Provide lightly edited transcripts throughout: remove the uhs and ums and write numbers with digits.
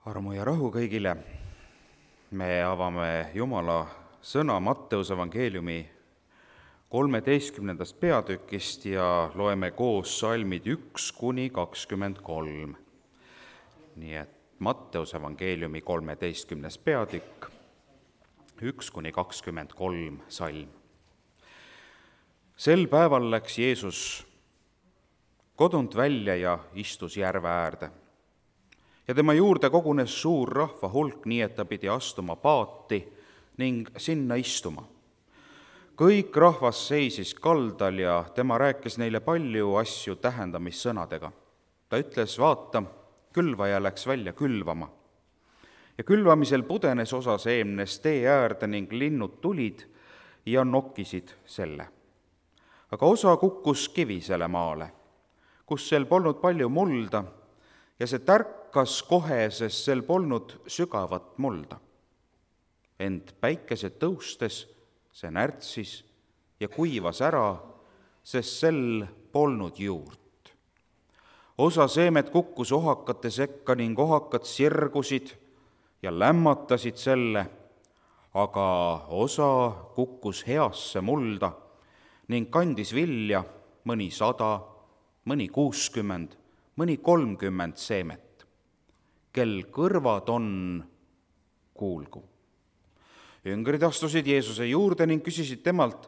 Armu ja rahu kõigile. Me avame Jumala sõna Matteuse evangeeliumi 13. peatükist ja loeme koos salmid 1–23. Nii et Matteuse evangeeliumi 13. peatükk, 1–23 salm. Sel päeval läks Jeesus kodunt välja ja istus järve äärde. Ja tema juurde kogunes suur rahva hulk, nii et ta pidi astuma paati ning sinna istuma. Kõik rahvas seisis kaldal ja tema rääkis neile palju asju tähendamissõnadega. Ta ütles, vaata, külvaja läks välja külvama. Ja külvamisel pudenes osa seemnest tee äärde ning linnud tulid ja nokkisid selle. Aga osa kukkus kivisele maale, kus sel polnud palju mulda, ja see tärkas kohe, sest sel polnud sügavat mulda. Ent päikese tõustes see närtsis ja kuivas ära, sest sel polnud juurt. Osa seemet kukkus ohakate sekka ning ohakad sirgusid ja lämmatasid selle, aga osa kukkus heasse mulda ning kandis vilja mõni 100, mõni 60, mõni 30 seemet. Kel kõrvad on, kuulgu. Jüngrid astusid Jeesuse juurde ning küsisid temalt,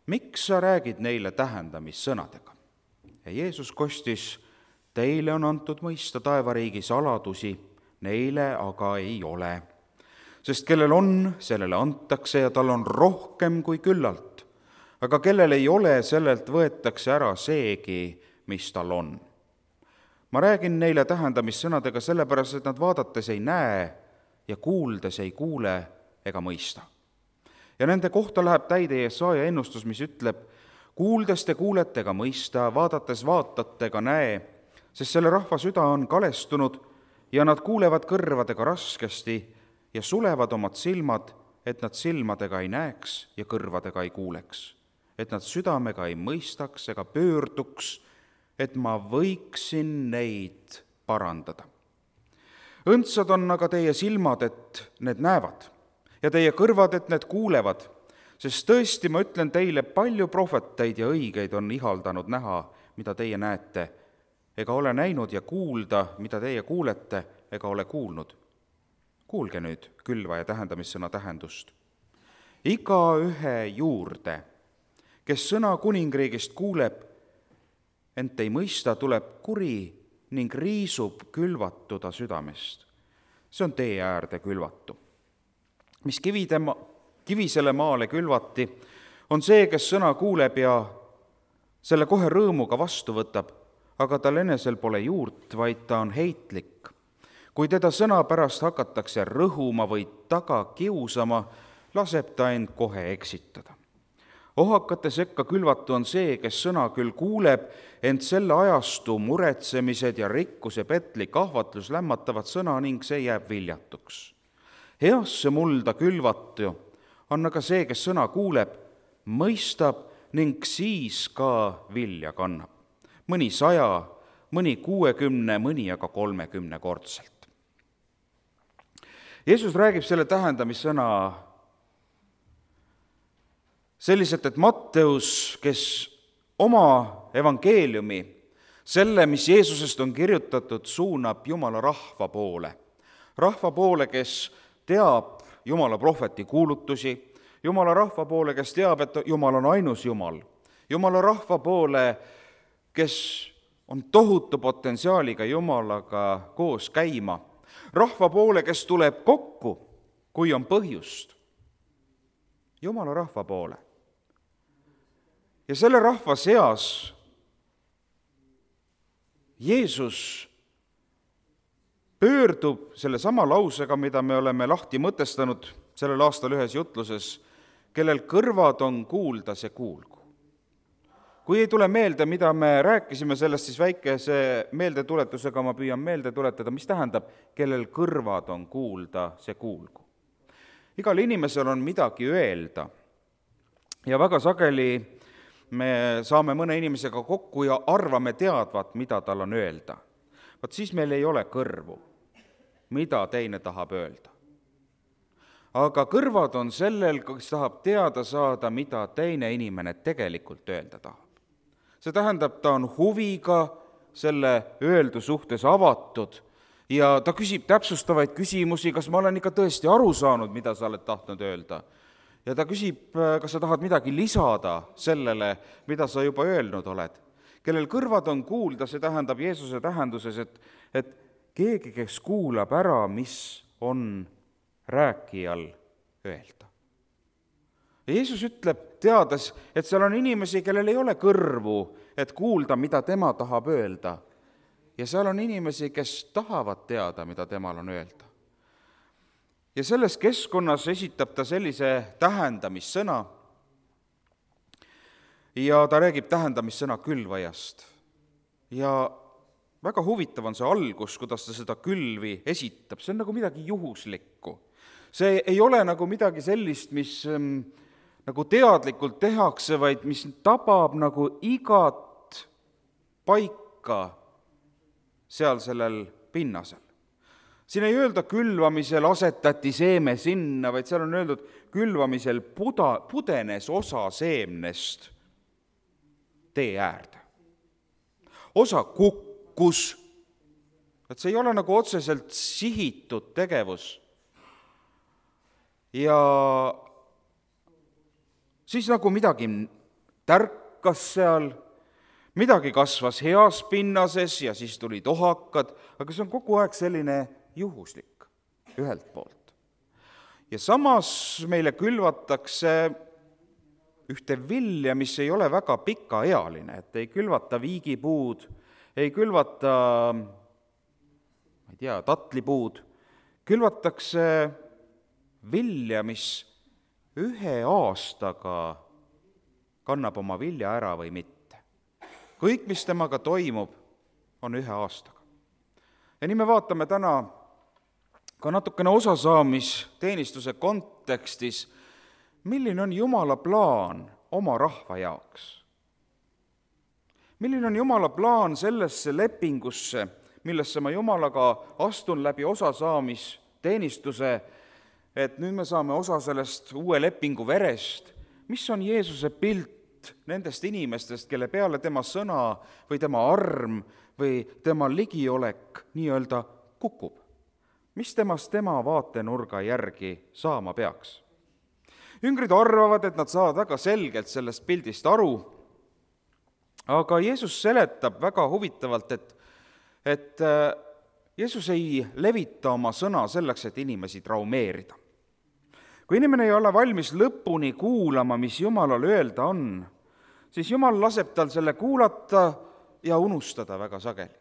miks sa räägid neile tähendamissõnadega? Ja Jeesus kostis, teile on antud mõista taevariigi saladusi, neile aga ei ole. Sest kellel on, sellele antakse ja tal on rohkem kui küllalt. Aga kellel ei ole, sellelt võetakse ära seegi, mis tal on. Ma räägin neile tähendamissõnadega sellepärast, et nad vaadates ei näe ja kuuldes ei kuule ega mõista. Ja nende kohta läheb täide Jesaja ennustus, mis ütleb, kuuldes te kuulete ega mõista, vaadates vaatate ega näe, sest selle rahva süda on kalestunud ja nad kuulevad kõrvadega raskesti ja sulevad omad silmad, et nad silmadega ei näeks ja kõrvadega ei kuuleks, et nad südamega ei mõistaks ega pöörduks, et ma võiksin neid parandada. Õndsad on aga teie silmad, et need näevad, ja teie kõrvad, et need kuulevad, sest tõesti ma ütlen teile, palju prohveteid ja õigeid on ihaldanud näha, mida teie näete, ega ole näinud ja kuulda, mida teie kuulete, ega ole kuulnud. Kuulge nüüd külvaja tähendamissõna tähendust. Igaühe juurde, kes sõna kuningriigist kuuleb, ent ei mõista, tuleb kuri ning riisub külvatuda südamest. See on tee äärde külvatu. Mis kivisele maale külvati, on see, kes sõna kuuleb ja selle kohe rõõmuga vastu võtab, aga tal enesel pole juurt, vaid ta on heitlik. Kui teda sõna pärast hakatakse rõhuma või taga kiusama, laseb ta end kohe eksitada. Ohakate sekka külvatu on see, kes sõna küll kuuleb, ent selle ajastu muretsemised ja rikkuse petlik ahvatlus lämmatavad sõna ning see jääb viljatuks. Heasse mulda külvatu on aga see, kes sõna kuuleb, mõistab ning siis ka vilja kannab. Mõni 100, mõni 60, mõni aga 30 kordselt. Jeesus räägib selle tähendamissõna selliselt, et Matteus, kes oma evangeeliumi, selle, mis Jeesusest on kirjutatud, suunab Jumala rahva poole. Rahva poole, kes teab Jumala prohveti kuulutusi, Jumala rahva poole, kes teab, et Jumal on ainus Jumal. Jumala rahva poole, kes on tohutu potentsiaaliga Jumalaga koos käima. Rahva poole, kes tuleb kokku, kui on põhjust. Jumala rahva poole. Ja selle rahva seas Jeesus pöördub selle sama lausega, mida me oleme lahti mõtestanud sellel aastal ühes jutluses, kellel kõrvad on kuulda, see kuulgu. Kui ei tule meelde, mida me rääkisime sellest, siis väikese meeldetuletusega ma püüan meelde tuletada, mis tähendab, kellel kõrvad on kuulda, see kuulgu. Igal inimesel on midagi öelda ja väga sageli me saame mõne inimesega kokku ja arvame teadvat, mida tal on öelda. Vaat siis meil ei ole kõrvu. mida teine tahab öelda. Aga kõrvad on sellel, kes tahab teada saada, mida teine inimene tegelikult öelda tahab. See tähendab, ta on huviga selle öeldu suhtes avatud ja ta küsib täpsustavaid küsimusi, kas ma olen ikka tõesti aru saanud, mida sa oled tahtnud öelda. Ja ta küsib, kas sa tahad midagi lisada sellele, mida sa juba öelnud oled. Kellel kõrvad on kuulda, see tähendab Jeesuse tähenduses, et keegi, kes kuulab ära, mis on rääkijal öelda. Ja Jeesus ütleb, teades, et seal on inimesi, kellel ei ole kõrvu, et kuulda, mida tema tahab öelda. Ja seal on inimesi, kes tahavad teada, mida temal on öelda. Ja selles keskkonnas esitab ta sellise tähendamissõna ja ta räägib tähendamissõna külvajast. Ja väga huvitav on see algus, kuidas ta seda külvi esitab, see on nagu midagi juhuslikku. See ei ole nagu midagi sellist, mis nagu teadlikult tehakse, vaid mis tabab nagu igat paika seal sellel pinnasel. Siin ei öelda külvamisel asetati seeme sinna, vaid seal on öeldud külvamisel pudenes osa seemnest tee äärde. Osa kukkus, et see ei ole nagu otseselt sihitud tegevus. Ja siis nagu midagi tärkas seal, midagi kasvas heas pinnases ja siis tulid ohakad, aga see on kogu aeg selline juhuslik ühelt poolt. Ja samas meile külvatakse ühte vilja, mis ei ole väga pikaealine, et ei külvata viigipuud, ei külvata, tatlipuud, külvatakse vilja, mis ühe aastaga kannab oma vilja ära või mitte. Kõik, mis temaga toimub, on ühe aastaga. Ja nii me vaatame täna ka natukene osasaamisteenistuse kontekstis, milline on Jumala plaan oma rahva jaoks. Milline on Jumala plaan sellesse lepingusse, millesse ma Jumalaga astun läbi osasaamisteenistuse, et nüüd me saame osa sellest uue lepingu verest, mis on Jeesuse pilt nendest inimestest, kelle peale tema sõna või tema arm või tema ligiolek nii-öelda kukub. Mis temast tema vaatenurga järgi saama peaks? Jüngrid arvavad, et nad saavad väga selgelt sellest pildist aru, aga Jeesus seletab väga huvitavalt, et Jeesus ei levita oma sõna selleks, et inimesi traumeerida. Kui inimene ei ole valmis lõpuni kuulama, mis Jumalal öelda on, siis Jumal laseb tal selle kuulata ja unustada väga sageli.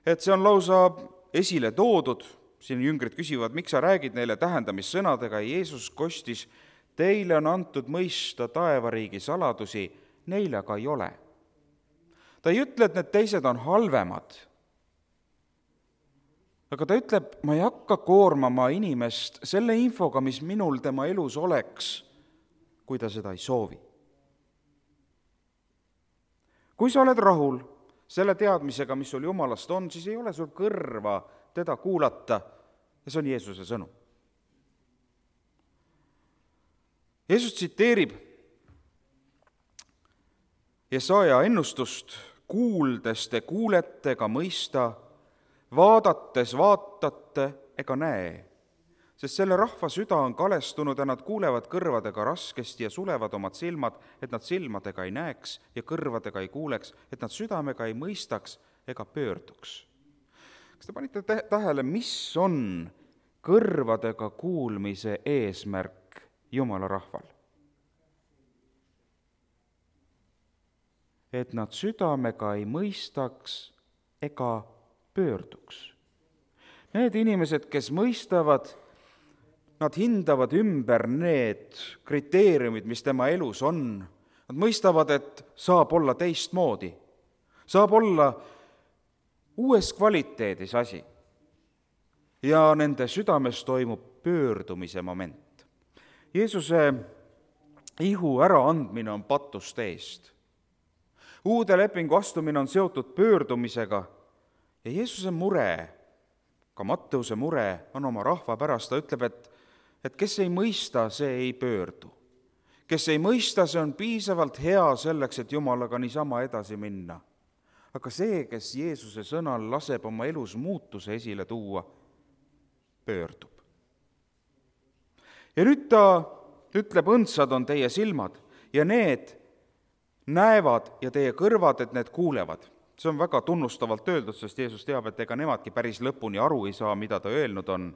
Et see on lausa esile toodud, siin jüngrid küsivad, miks sa räägid neile tähendamissõnadega, Jeesus kostis, teile on antud mõista taevariigi saladusi, neile aga ei ole. Ta ei ütle, et need teised on halvemad, aga ta ütleb, ma ei hakka koormama inimest selle infoga, mis minul tema elus oleks, kui ta seda ei soovi. Kui sa oled rahul selle teadmisega, mis sul Jumalast on, siis ei ole sul kõrva teda kuulata ja see on Jeesuse sõnum. Jeesus tsiteerib Jesaja ennustust, kuuldes te kuulete ega mõista, vaadates vaatate ega näe, sest selle rahva süda on kalestunud ja nad kuulevad kõrvadega raskesti ja sulevad omad silmad, et nad silmadega ei näeks ja kõrvadega ei kuuleks, et nad südamega ei mõistaks ega pöörduks. Kas te panite tähele, mis on kõrvadega kuulmise eesmärk Jumala rahval? Et nad südamega ei mõistaks ega pöörduks. Need inimesed, kes mõistavad, nad hindavad ümber need kriteeriumid, mis tema elus on. Nad mõistavad, et saab olla teistmoodi. Saab olla uues kvaliteedis asi. Ja nende südames toimub pöördumise moment. Jeesuse ihu äraandmine on patuste eest. Uude lepingu astumine on seotud pöördumisega ja Jeesuse mure ka Matteuse mure on oma rahva pärast, ta ütleb, et kes ei mõista, see ei pöördu. Kes ei mõista, see on piisavalt hea selleks, et Jumalaga niisama edasi minna. Aga see, kes Jeesuse sõnal laseb oma elus muutuse esile tuua, pöördub. Ja nüüd ta ütleb, õndsad on teie silmad ja need näevad ja teie kõrvad, et need kuulevad. See on väga tunnustavalt öeldud, sest Jeesus teab, et ega nemadki päris lõpuni aru ei saa, mida ta öelnud on.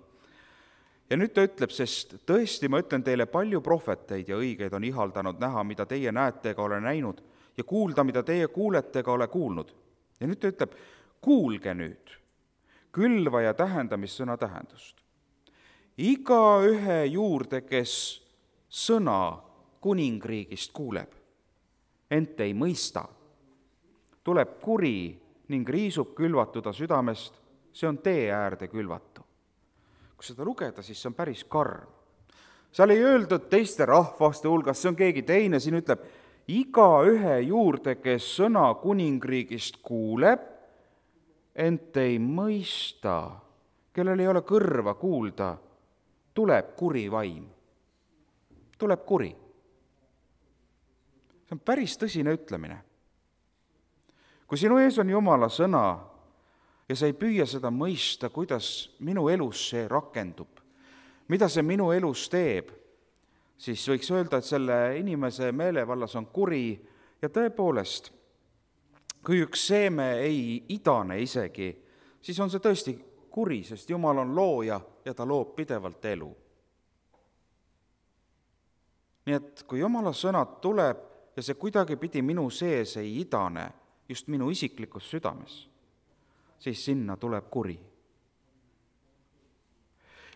Ja nüüd ta ütleb, sest tõesti ma ütlen teile, palju prohveteid ja õigeid on ihaldanud näha, mida teie näete ega ole näinud, ja kuulda, mida teie kuulete ega ole kuulnud. Ja nüüd ta ütleb, kuulge nüüd külvaja tähendamissõna tähendust. Igaühe juurde, kes sõna kuningriigist kuuleb, ent ei mõista, tuleb kuri ning riisub külvatuda südamest, see on tee äärde külvatu. Kui seda lugeda, siis see on päris karm. Seal ei öeldud teiste rahvaste hulgas, see on keegi teine, siin ütleb, igaühe juurde, kes sõna kuningriigist kuuleb, ent ei mõista, kellel ei ole kõrva kuulda, tuleb kuri vaim. Tuleb kuri. See on päris tõsine ütlemine. Kui sinu ees on Jumala sõna ja sa ei püüa seda mõista, kuidas minu elus see rakendub, mida see minu elus teeb, siis võiks öelda, et selle inimese meelevallas on kuri ja tõepoolest, kui üks seeme ei idane isegi, siis on see tõesti kuri, sest Jumal on looja ja ta loob pidevalt elu. Nii et kui Jumala sõnad tuleb ja see kuidagi pidi minu sees ei idane, just minu isiklikus südames, siis sinna tuleb kuri.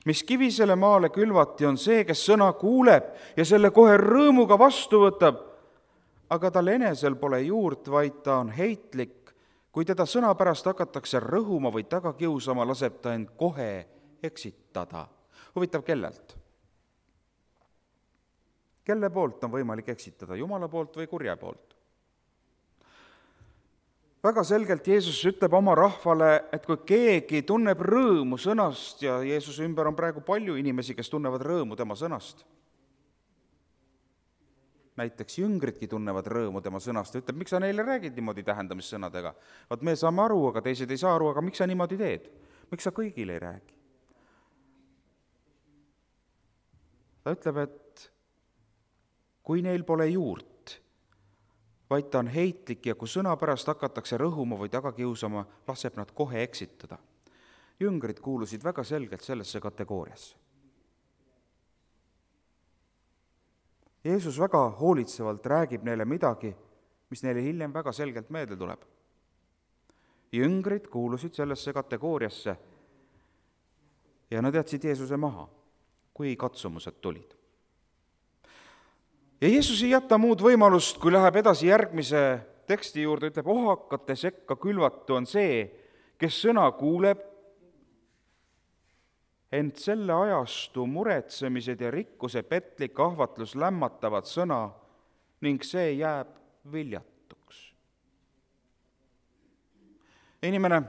Mis kivisele maale külvati, on see, kes sõna kuuleb ja selle kohe rõõmuga vastu võtab, aga tal enesel pole juurt, vaid ta on heitlik. Kui teda sõna pärast hakatakse rõhuma või taga kiusama, laseb ta end kohe eksitada. Huvitav, kellelt? Kelle poolt on võimalik eksitada, Jumala poolt või kurja poolt? Väga selgelt Jeesus ütleb oma rahvale, et kui keegi tunneb rõõmu sõnast, ja Jeesuse ümber on praegu palju inimesi, kes tunnevad rõõmu tema sõnast. Näiteks jüngridki tunnevad rõõmu tema sõnast, ütleb, miks sa neile räägid niimoodi tähendamissõnadega? Vaat me saame aru, aga teised ei saa aru, aga miks sa niimoodi teed? Miks sa kõigile ei räägi? Ta ütleb, et kui neil pole juurt, vaid ta on heitlik ja kui sõna pärast hakatakse rõhuma või taga kiusama, laseb nad kohe eksitada. Jüngrid kuulusid väga selgelt sellesse kategooriasse. Jeesus väga hoolitsevalt räägib neile midagi, mis neile hiljem väga selgelt meelde tuleb. Jüngrid kuulusid sellesse kategooriasse ja nad jätsid Jeesuse maha, kui katsumused tulid. Ja Jeesus ei jäta muud võimalust, kui läheb edasi järgmise teksti juurde, ütleb, ohakate sekka külvatu on see, kes sõna kuuleb, ent selle ajastu muretsemised ja rikkuse petlik ahvatlus lämmatavad sõna ning see jääb viljatuks. Inimene,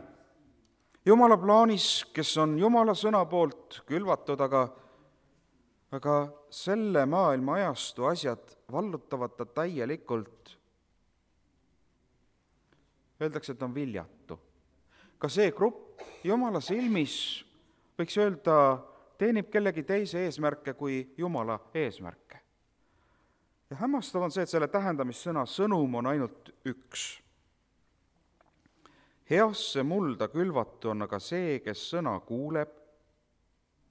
Jumala plaanis, kes on Jumala sõna poolt külvatud, aga selle maailma ajastu asjad vallutavad ta täielikult. Öeldakse, et on viljatu. Ka see grupp Jumala silmis, võiks öelda, teenib kellegi teise eesmärke kui Jumala eesmärke. Ja hämmastav on see, et selle tähendamissõna sõnum on ainult üks. Heasse mulda külvatu on aga see, kes sõna kuuleb,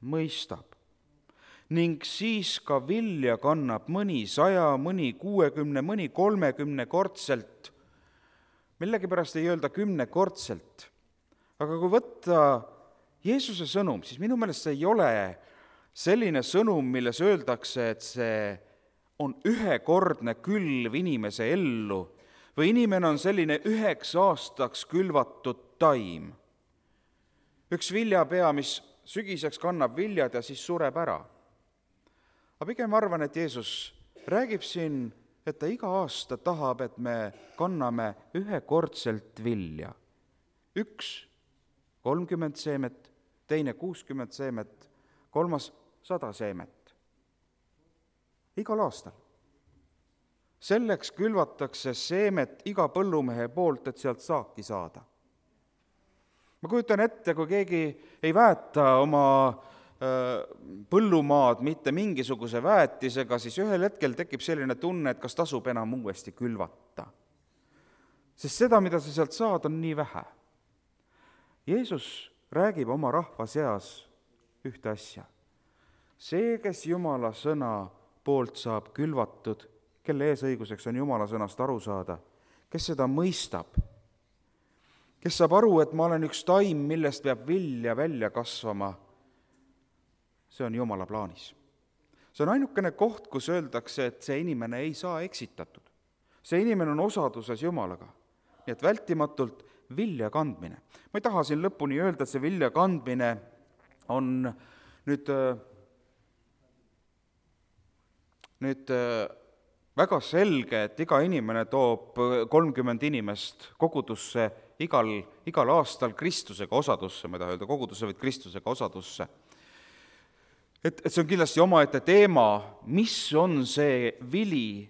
mõistab. Ning siis ka vilja kannab mõni 100, mõni 60, mõni 30 kordselt. Millegipärast ei öelda 10 kordselt. Aga kui võtta Jeesuse sõnum, siis minu meelest see ei ole selline sõnum, milles öeldakse, et see on ühekordne külv inimese ellu või inimene on selline 9 aastaks külvatud taim. Üks viljapea, mis sügiseks kannab viljad ja siis sureb ära. Aga pigem arvan, et Jeesus räägib siin, et ta iga aasta tahab, et me kanname ühekordselt vilja. 1, 30 seemet teine 60 seemet, kolmas 100 seemet. Igal aastal. Selleks külvatakse seemet iga põllumehe poolt, et sealt saaki saada. Ma kujutan ette, kui keegi ei väeta oma põllumaad mitte mingisuguse väetisega, siis ühel hetkel tekib selline tunne, et kas tasub enam uuesti külvata. Sest seda, mida sa sealt saad, on nii vähe. Jeesus räägib oma rahva seas ühte asja. See, kes Jumala sõna poolt saab külvatud, kelle eesõiguseks on Jumala sõnast aru saada, kes seda mõistab, kes saab aru, et ma olen üks taim, millest peab vilja välja kasvama, see on Jumala plaanis. See on ainukene koht, kus öeldakse, et see inimene ei saa eksitatud. See inimene on osaduses Jumalaga. Nii et vältimatult vilja kandmine. Ma ei taha siin lõpuni öelda, et see vilja kandmine on nüüd väga selge, et iga inimene toob 30 inimest kogudusse igal aastal Kristusega osadusse, ma ei taha öelda kogudusse, vaid Kristusega osadusse. Et see on kindlasti omaette teema, mis on see vili,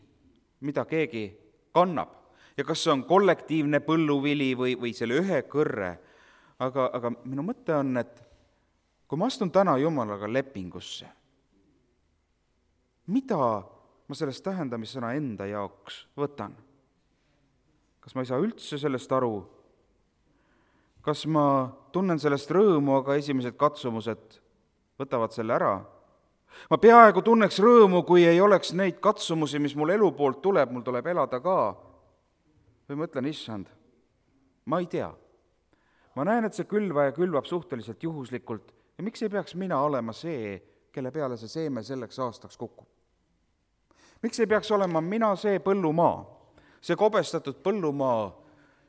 mida keegi kannab. Ja kas see on kollektiivne põlluvili või selle ühe kõrre. Aga minu mõte on, et kui ma astun täna Jumalaga lepingusse, mida ma sellest tähendamissõna enda jaoks võtan? Kas ma ei saa üldse sellest aru? Kas ma tunnen sellest rõõmu, aga esimesed katsumused võtavad selle ära? Ma peaaegu tunneks rõõmu, kui ei oleks neid katsumusi, mis mul elu poolt tuleb, mul tuleb elada ka. Või mõtlen, issand, ma ei tea. Ma näen, et see külvaja külvab suhteliselt juhuslikult ja miks ei peaks mina olema see, kelle peale see seeme selleks aastaks kukub? Miks ei peaks olema mina see põllumaa, see kobestatud põllumaa,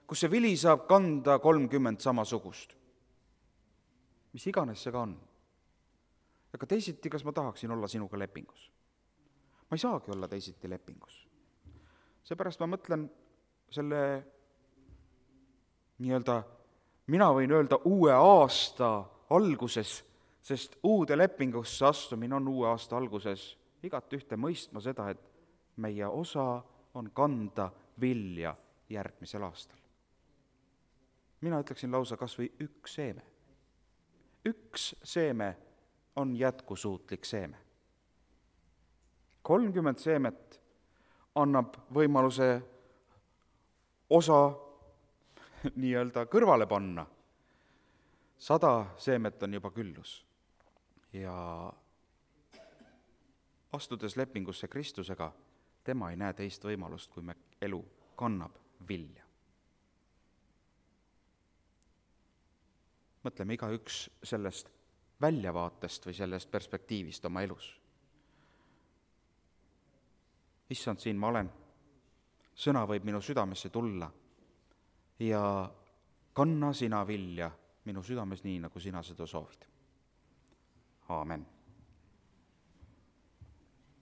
kus see vili saab kanda 30 samasugust? Mis iganes see ka on. Aga teisiti, kas ma tahaksin olla sinuga lepingus? Ma ei saagi olla teisiti lepingus. Seepärast ma mõtlen selle mina võin öelda uue aasta alguses, sest uude lepingusse astumine on uue aasta alguses igat ühte mõistma seda, et meie osa on kanda vilja järgmisel aastal. Mina ütleksin lausa kas või üks seeme. Üks seeme on jätkusuutlik seeme. 30 seemet annab võimaluse osa kõrvale panna. 100 seemet on juba küllus. Ja astudes lepingusse Kristusega, tema ei näe teist võimalust, kui me elu kannab vilja. Mõtleme igaüks sellest väljavaatest või sellest perspektiivist oma elus. Issand, siin ma olen. Sõna võib minu südamesse tulla ja kanna sina vilja minu südames nii, nagu sina seda soovid. Aamen.